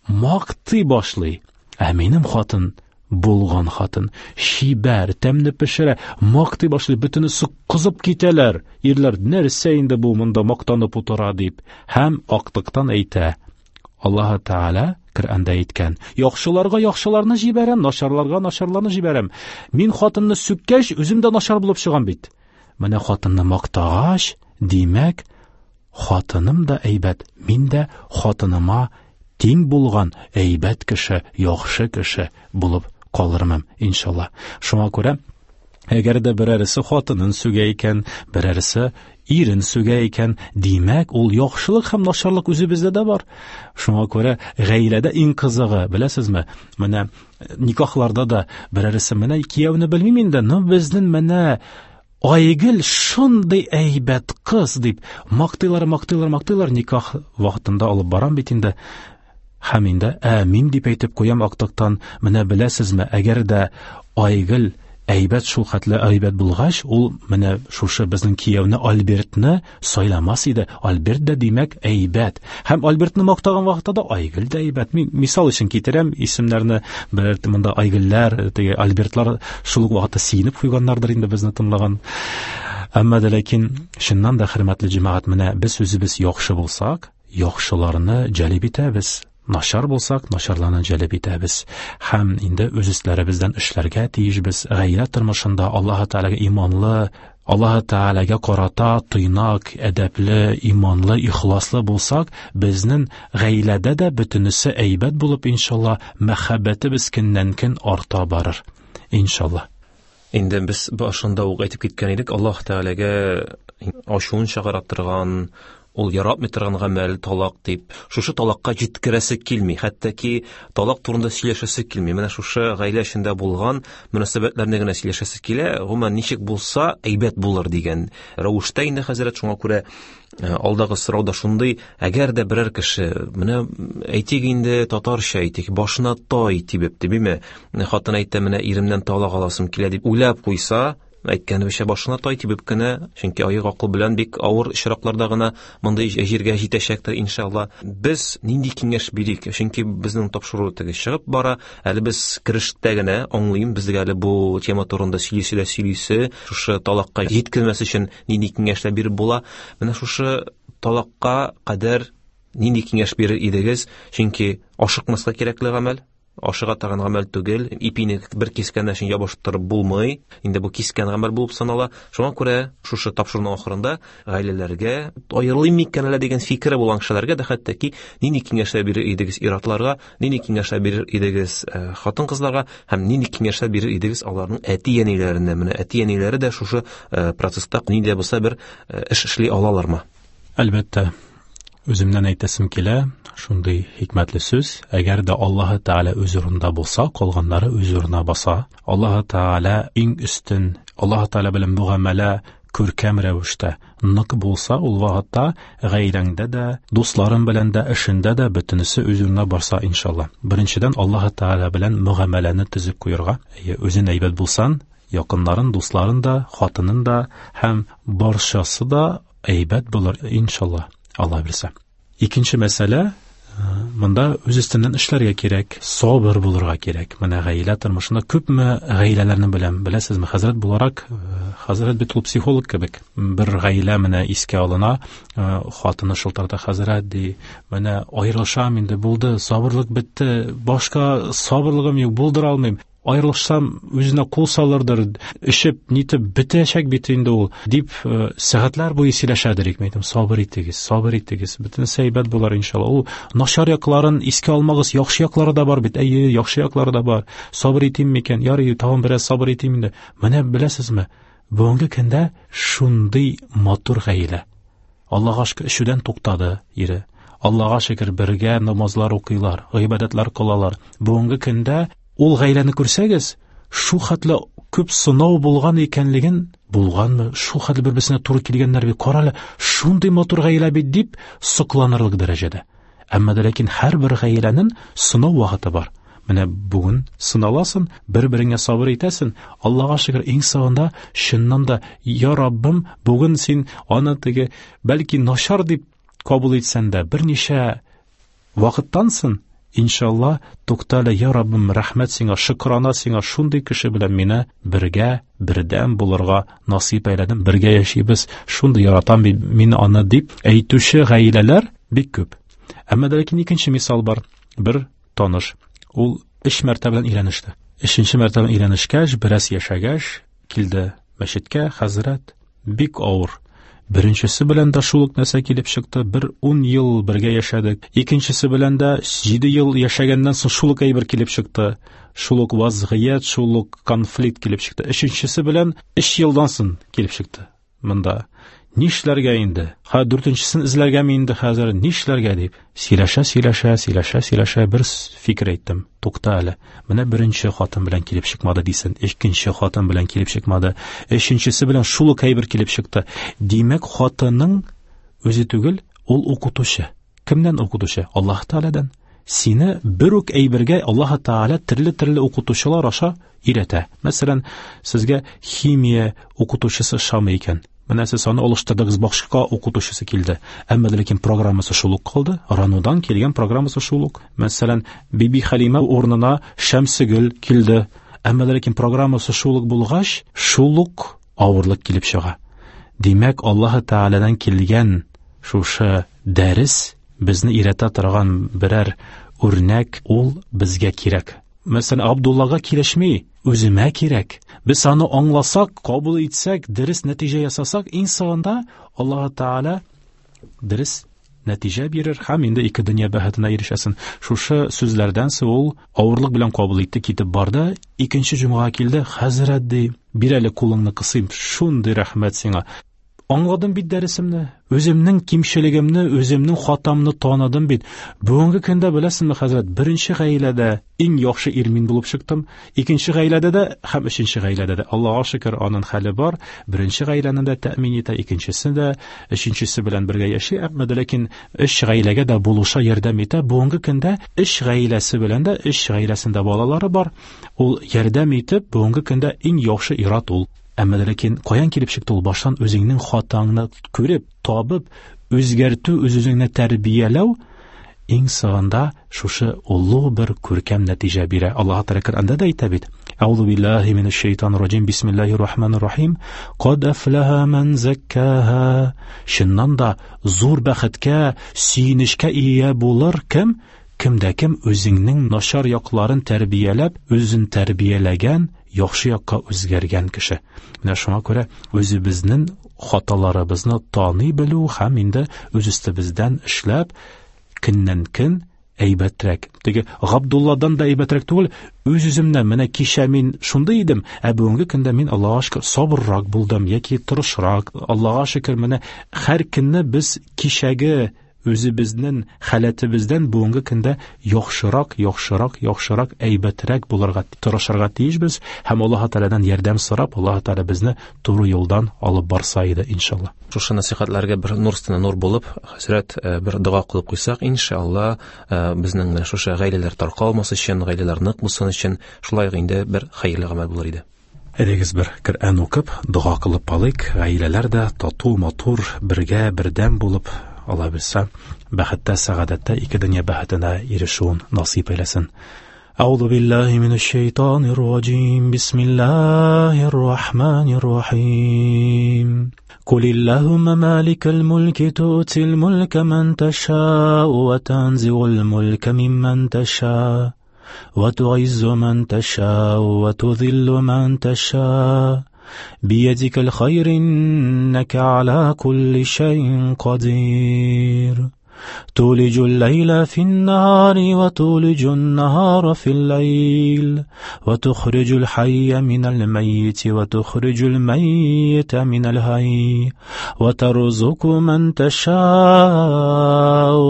мактый башлый. Ә минем хатын булган хатын, чибәр, тәмле пешерә, мактый башлый, бөтенесе кызып китәләр. Ирләр, нәрсә инде бу монда мактанып утыра дип. Һәм актыктан әйтә: Аллаһ Тәгалә Коръәндә әйткән: яхшыларга яхшыларны җибәрәм, начарларга начарларны җибәрәм. Мин хатынны сүккәч, үзем дә начар булып чыгам бит. Менә хатынны мактагач, димәк, хатыным да әйбәт, мин дә хатыныма тиң булган әйбәт кеше, яхшы кеше булып калырмын, иншалла. Шуңа күрә әгәр дә берәрсе хатынын сүгә икән, берәрсе ирен сүгә икән, димәк, ул яхшылык һәм начарлык үзебездә дә бар. Шуңа күрә гаиләдә иң кызыгы, беләсезме, менә никахларда да берәрсе менә кияүне белмим инде, но безнең менә Айгөл шундый әйбәт кыз дип мактыйлар, мактыйлар, мактыйлар, никах вакытында алып барам бит инде. Һәм инде әмин дип әйтеп куям актыктан. Менә беләсезме, әгәр дә Айгөл әйбәт, шул хәтле әйбәт булгач, ул менә шушы безнең кияүне Альбертны сайламас иде. Альберт дә димәк әйбәт. Һәм Альбертны мактаган вакытта да Айгөл дә әйбәт. Мин мисал өчен китерәм исемнәрне, берәр монда Айгөлләр, теге Альбертлар шул ук вакытта сөенеп куйганнардыр инде безне тыңлаган. Әмма дә ләкин чыннан да, хөрмәтле җәмәгать, менә без үзебез яхшы булсак, яхшыларны җәлеп итәбез. Начар булсак, начарларны җәлеп итәбез. Һәм инде үз өсләребездән эшләргә тиешбез. Гаилә тормышында Аллаһ Тәгаләгә иманлы, Аллаһ Тәгаләгә карата тыйнак, әдәпле, иманлы, ихласлы булсак, безнең гаиләдә дә бөтенесе әйбәт булып, иншалла, мәхәббәтебез көннән-көн арта барыр, иншалла. Инде без башында ук әйтеп киткән идек, Аллаһ Тәгаләгә ачуын чыгара торган, ул яратмый торган гамәл талак дип. Шушы талакка җиткерәсе килми, хәтта ки талак турында сөйләшәсе килми. Менә шушы гаилә эчендә булган мөнәсәбәтләрне генә сөйләшәсе килә. Гомумән, ничек булса әйбәт булыр дигән рәвештә инде хәзрәт. Шуңа күрә, э, алдагы сорау да шундый: әгәр дә берәр кеше, менә әйтик инде татарча әйтик, башына тай тибеп, димме, хатын әйтә, менә иремнән талак аласым килә дип уйлап куйса, әйткәнебезчә башына тай тибеп кенә, чөнки аек акыл белән бик авыр очракларда гына мондый җиргә җитәчәктер, иншалла. Без нинди киңәш бирик? Чөнки безнең тапшыру теге чыгып бара, әле без керештә генә аңлыйм, безгә әле бу тема турында сөйлисе дә сөйлисе, шушы талакка җиткермәс өчен нинди киңәшләр биреп була? Менә шушы талакка кадәр нинди киңәш бирер идегез? Чөнки ашыкмаска кирәкле гамәл, ашыга торган гамәл түгел, ипине бер кискәннән соң ябыштырып булмый, инде бу кискән гамәл булып санала. Шуңа күрә шушы тапшыруның ахырында гаиләләргә аерылыйм микән әллә дигән фикере булган кешеләргә дә хәтта ки нинди киңәшләр бирер идегез ир-атларга, нинди киңәшләр бирер идегез, э, хатын-кызларга һәм нинди киңәшләр бирер идегез аларның әти-әниләренә? Менә әти-әниләре дә шушы, э, процесста нинди дә булса бер, э, эш эшли алалармы? Әлбәттә, үземнән әйтәсем килә, шундый хикмәтле сүз: әгәр дә Аллаһы Тәгалә үз урынында булса, калганнары үз урынына баса. Аллаһы Тәгалә иң өстен, Аллаһы Тәгалә белән мөгамәлә күркәм рәвештә нык булса, ул вакытта гаиләңдә дә, дусларың белән дә, эшендә дә бөтенесе үз урынына барса, иншалла. Беренчедән, Аллаһы Тәгалә белән мөгамәләне төзеп куярга. Әйе, үзең әйбәт булсаң, якыннарын, дусларын да, хатынын да һәм барчасы да әйбәт булыр, иншалла, Алла бирсә. Икенче мәсьәлә, монда үз өстеннән эшләргә кирәк, сабыр булырга кирәк. Менә гаилә тормышында күпме гаиләләрне беләм, беләсезме, хәзрәт буларак, хәзрәт бит ул психолог кебек. Бер гаилә менә искә алына, хатыны шылтырата, хәзрәт ди, менә аерылышам инде, булды, сабырлык бетте, башка сабырлыгым юк, булдыра алмыйм. Аерылышсам, үзенә кул салырдыр, эчеп, нитеп бетәчәк бит инде ул, дип, э, сәгатьләр буе сөйләшәдер. Мин әйтәм, сабыр итегез, сабыр итегез, бөтенесе әйбәт булыр иншалла. Ул начар якларын искә алмагыз, яхшы яклары да бар бит. Әйе, яхшы яклары да бар. Сабыр итим микән? Ярый, тагын бераз сабыр итим инде. Менә беләсезме, бүгенге көндә шундый матур гаилә. Аллаһка шөкер, эчүдән туктады ире. Аллаһка шөкер, бергә намазлар укыйлар, гыйбадәтләр кылалар. Бүгенге көндә ул гаиләне күрсәгез, шу хәтле күп сынау булган икәнлеген, булганмы, шу хәтле бер-берсенә туры килгәннәр бит, кара әле, шундый матур гаилә бит дип сокланырлык дәрәҗәдә. Әмма дә ләкин һәрбер гаиләнең сынау вакыты бар. Менә бүген сыналасың, бер-береңә сабыр итәсең. Аллаһка шөкер, иң соңында чыннан да, я Раббым, бүген син аны теге бәлки начар дип кабул итсәң дә, берничә вакыттан соң, иншалла, туктале, я Раббым, рәхмәт сиңа, шөкрана сиңа, шундый кеше белән мине бергә, бердәм булырга насыйп әйләдең, бергә яшибез, шундый яратам мин аны дип әйтүче гаиләләр бик күп. Әмма дә ләкин икенче мисал бар. Бер таныш, ул өч мәртәбә белән өйләнеште. Өченче мәртәбә өйләнешкәч, бераз яшәгәч, килде мәчеткә, хәзрәт, бик авыр. Беренчесе белән дә шул ук нәрсә килеп чыкты, бер ун ел бергә яшәдек. Икенчесе белән дә җиде ел яшәгәннән соң шул ук әйбер килеп чыкты. Шул ук вазгыять, шул ук конфликт килеп чыкты. Өченчесе белән өч елдан соң килеп чыкты. Монда нишләргә инде? Ха, дүртенчесен эзләргәме инде хәзер? Нишләргә дип сөйләшә, сөйләшә, сөйләшә, сөйләшә бер фикер әйттем. Тукта әле. Менә беренче хатын белән килеп чыкмады дисен, икенче хатын белән килеп чыкмады, өченчесе белән шул ук әйбер килеп чыкты. Димәк, хатынның үзе түгел, ул укытучы. Кемнән укытучы? Аллаһ Тәгаләдән. Сине бер үк әйбергә Аллаһ Тәгалә төрле-төрле укытучылар аша өйрәтә. Мәсәлән, сезгә химия укытучысы ошамый икән. Менә сез аны алыштырдыгыз, башка укытучысы килде. Әмма ләкин программасы шул ук калды. Ранудан килгән программасы шул ук. Мәсәлән, Биби Хәлимә урынына Шәмсегөл килде. Әмма ләкин программасы шул ук булгач, шул ук авырлык килеп чыга. Димәк, Аллаһ Тәгаләдән килгән шушы дәрес безне өйрәтә торган берәр үрнәк, ул безгә кирәк. Мәсәлән, Абдуллага килешми, үземә кирәк. Без аны аңласак, кабул итсәк, дөрес нәтиҗә ясасак, иң соңында Аллаһ Тәгалә дөрес нәтиҗә бирер һәм инде ике дөнья бәхетенә ирешәсен. Шушы сүзләрдән соң ул авырлык белән кабул итте, китеп барды. Икенче җомгага килде. Хәзрәт, ди, бир әле кулыңны кысыйм, шундый рәхмәт сиңа. Аңладым бит дәресемне, үземнең кимчелегемне, үземнең хатамны таныдым бит. Бүгенге көндә беләсеңме, хәзрәт, беренче гаиләдә иң яхшы ир мин булып чыктым, икенче гаиләдә дә һәм өченче гаиләдә дә. Аллаһка шөкер, аның хәле бар. Беренче гаиләне дә тәэмин итә, икенчесе дә, өченчесе белән бергә яши, әмма дә ләкин өч гаиләгә дә булыша, ярдәм итә. Бүгенге көндә өч гаиләсе белән дә, өч гаиләсендә балалары бар. Ул ярдәм итеп, бүгенге көндә иң яхшы ир-ат ул. Әмма ләкин каян килеп чыкты ул? Баштан үзеңнең хатаңны күреп, табып, үзгәртү, үз-үзеңне тәрбияләү иң соңында шушы олуг бер күркәм нәтиҗә бирә. Аллаһ Тәгалә Коръәндә дә әйтә бит: Әгъузу биллаһи минәш шайтанир раҗим, бисмиллаһир рахманир рахим. Кад афлаһа ман заккаһа. Чыннан да зур бәхеткә, сөенечкә ия булыр кем? Кемдә кем үзеңнең начар якларын тәрбияләп, үзен тәрбияләгән, яхшы якка үзгәргән кеше. Менә шуңа күрә үзебезнең хаталарыбызны таный белү һәм инде үз өстебездән эшләп, көннән көн әйбәтрәк. Теге Габдулладан да әйбәтрәк түгел, үз-үземнән менә кичә мин шундый идем, ә бүгенге көндә мин Аллаһка шөкер сабыррак булдым яки тырышрак. Аллаһка шөкер, менә һәр көнне без кичәге үзебезнең халәтебездән бүгенге көндә яхшырак, яхшырак, яхшырак, әйбәтрәк булырга тырышырга тиешбез һәм Аллаһ Тәгаләдән ярдәм сорап, Аллаһ Тәгалә безне туры юлдан алып барса иде, иншалла. Шушы насихатларга бер нур өстенә нур булып, хәзрәт, бер дога кылып куйсак, иншалла, безнең менә шушы гаиләләр таркалмас өчен, гаиләләр нык булсын өчен, шулай ук инде бер хәерле гамәл булыр иде. Әйдәгез бер Коръән укып, дога кылып алыйк, гаиләләр дә тату, матур, бергә, бердәм булып, Алла белсә, бәхеттә, сәгадәттә ике дөнья бәхетенә ирешүен насыйп әйләсен. Әгъузу биллаһи минәш шайтанир раҗим. Бисмиллаһир рахманир рахим. Кулиллаһумма маликал мулки ту'тил мулка ман таша'у ва танзи'ул мулка мимман таша'у ва ту'иззу ман таша'у ва тузиллу ман таша'у. بيدك الخير إنك على كل شيء قدير. تولج الليل في النهار وتولج النهار في الليل وتخرج الحي من الميت وتخرج الميت من الحي وترزق من تشاء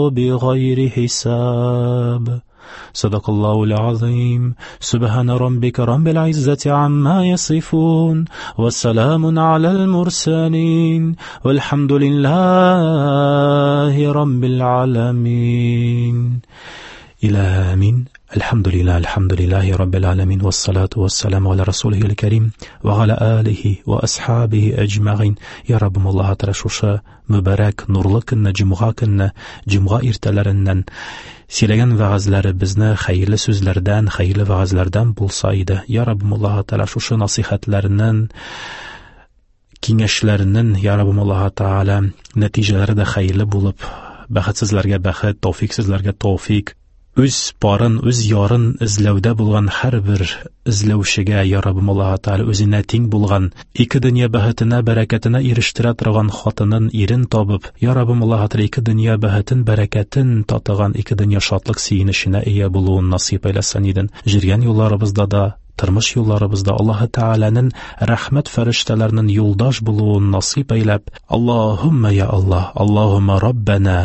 بغير حساب. صدق الله العظيم. سبحان ربك رب العزة عما يصفون والسلام على المرسلين والحمد لله رب العالمين. إلى آمين. الحمد لله، الحمد لله رب العالمين، والصلاة والسلام على رسوله الكريم وعلى آله وأصحابه أجمعين. يا رب الله تعالى шушы мөбарәк нурлы көнне, җомга көнне, җомга иртәләреннән сөйләгән вәгазьләребезне хәерле сүзләрдән, хәерле вәгазьләрдән булса иде. Я Раббым Аллаһ Тәгалә шушы насыйхатларының, киңәшләренең, Я Раббым Аллаһ Тәгалә нәтиҗәләре дә хәерле булып, бәхетсезләргә бәхет, тәүфиксезләргә тәүфик, Үз парын, үз ярын эзләүдә булган һәрбер эзләүчегә, я Раббым Аллаһы Тәгалә, үзенә тиң булган, ике дөнья бәхетенә, бәрәкәтенә ирештерә торган хатынын, ирен табып, я Раббым Аллаһы Тәгалә, ике дөнья бәхетен, бәрәкәтен татыган, ике дөнья шатлык сөенеченә ия булуын насыйп әйләсен иден. Җиргән юлларыбызда да, тормыш юлларыбызда Аллаһы Тәгаләнең рәхмәт фәрештәләренең юлдаш булуын насыйп әйләп, Аллаһумма я Аллаһ, Аллаһумма Раббана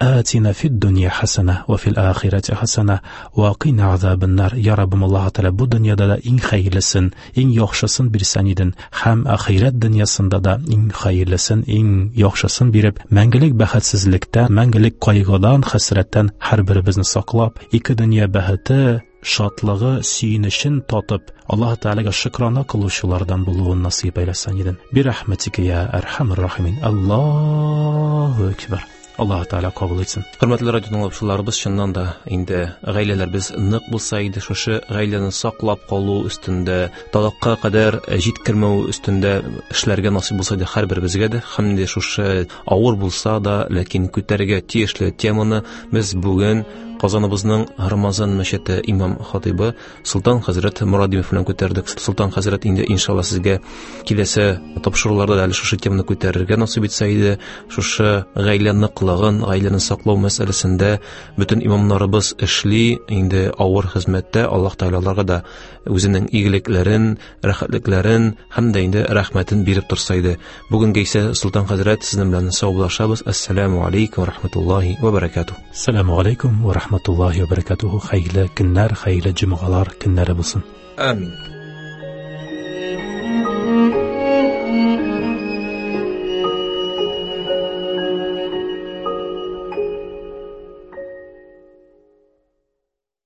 آتنا في الدنيا حسنة وفي الآخرة حسنة وقنا عذاب النار. Ya Rabbim Allahu Teala, bu dünyada da eng hayırlısın, eng yaxşısın birsən idin. Həm axirət dünyasında da eng hayırlısın, eng yaxşısın berib, мәңгелек бәхетсезлектән, мәңгелек кайгыдан, хәсрәттән һәр беребезне саклап, ике дөнья бәхете, шатлыгы, сөенечен татып, Аллаһ Тәгаләгә шөкрана кылучылардан булуын насыйп әйләсен иден. Бирәхмәтикә я әрхәмәр рахимин. Аллаһу акбар. Аллаһ Тәгалә кабул итсен. Хөрмәтле радио тыңлаучыларыбыз, чыннан да инде гаиләләребез нык булса иде, шушы гаиләне саклап калу өстендә, талакка кадәр җиткермәү өстендә эшләргә насыйп булса иде һәрберебезгә дә. Һәм дә шушы авыр булса да, ләкин күтәрергә тиешле теманы без бүген Казаныбызның Рамазан мәчете имам хатибы Солтан хәзрәт Морадимов белән күтәрдек. Солтан хәзрәт, инде иншалла сезгә киләсе тапшыруларда да әле шушы теманы күтәрергә насыйп итсә иде. Шушы гаилә ныклыгын, гаиләне саклау мәсьәләсендә бөтен имамнарыбыз эшли, инде авыр хезмәттә. Аллаһ Тәгалә аларга да үзенең игелекләрен, рәхәтлекләрен һәм дә инде рәхмәтен биреп торса иде. Бүгенгә исә Солтан хәзрәт сезнең белән саубуллашабыз. Ассаламу алейкум ва рахматуллаһи ва баракатуһ. Ассаламу алейкум ва рахматуллаһи ва баракатуһ. Хәерле көннәр, хәерле җомгалар көннәре булсын. Амин.